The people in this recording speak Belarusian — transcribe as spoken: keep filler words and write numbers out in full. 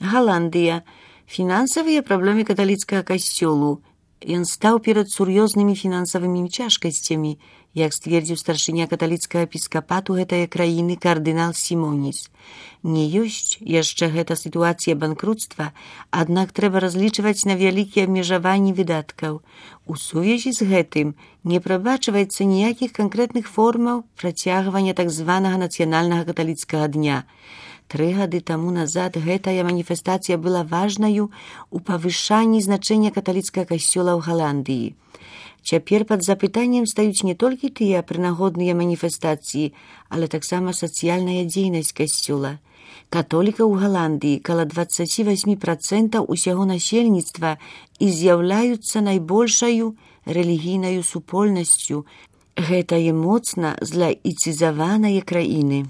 Галандыя. Фінансавыя праблемы каталіцкага касцёлу. Ён стаў перад сур'ёзнымі фінансавымі цяжкасцямі, як сцвердзіў старшыня каталіцкага эпіскапату гэтае краіны кардынал Сімоніс. Не ёсць яшчэ гэта сітуацыя банкруцтва, аднак трэба разлічваць на вялікія абмежаванні выдаткаў. У сувязі з гэтым не прабачваецца ніякіх канкрэтных формаў працягвання так званага нацыянальнага каталіцкага дня. Тры гады таму назад гэтая маніфестацыя была важнаю у павышанні значэння каталіцкага касцёла ў Галандыі. Цяпер пад запытаннем стаюць не толькі тыя прынагодныя маніфестацыі, але таксама сацыяльная дзейнасць касцёла. Католікаў у Галандыі каля дваццаць восемь процентаў усяго насельніцтва і з'яўляюцца найбольшаю рэлігійнаю супольнасцю гэтае моцна злаіцызаванае краіны.